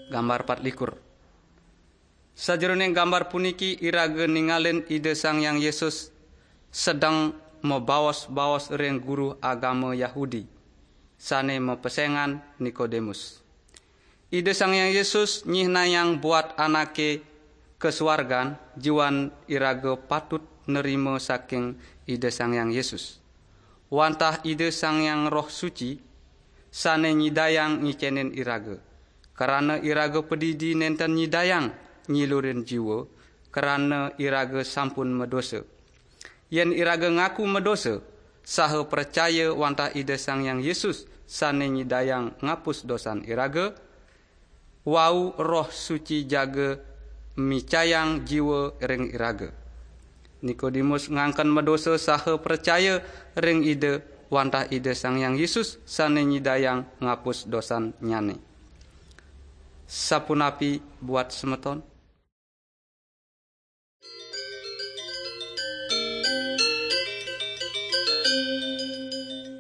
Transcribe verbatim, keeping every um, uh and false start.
Gambar pat likur. Sajeroning gambar puniki iraga ningalin Ida Sang Hyang Yesus sedeng mabaos-baos ring guru agama Yahudi, sane mapesengan Nikodemus. Ida Sang Hyang Yesus nyihnayang buat anake kasuargan, jiwan iraga patut nerima saking Ida Sang Hyang Yesus. Wantah Ida Sang Hyang Roh Suci, sane nyidayang ngicenin iraga. Krana iraga padidi nenten nyidayang nyilurin jiwa, krana iraga sampun madosa. Yen iraga ngaku madosa, saha pracaya wantah Ida Sang Hyang Yesus sane nyidayang ngapus dosan iraga, wau Roh Suci jaga micayang jiwa ring iraga. Nikodemus ngangken madosa saha pracaya ring Ida wantah Ida Sang Hyang Yesus sane nyidayang ngapus dosannyane. Sapunapi buat semeton?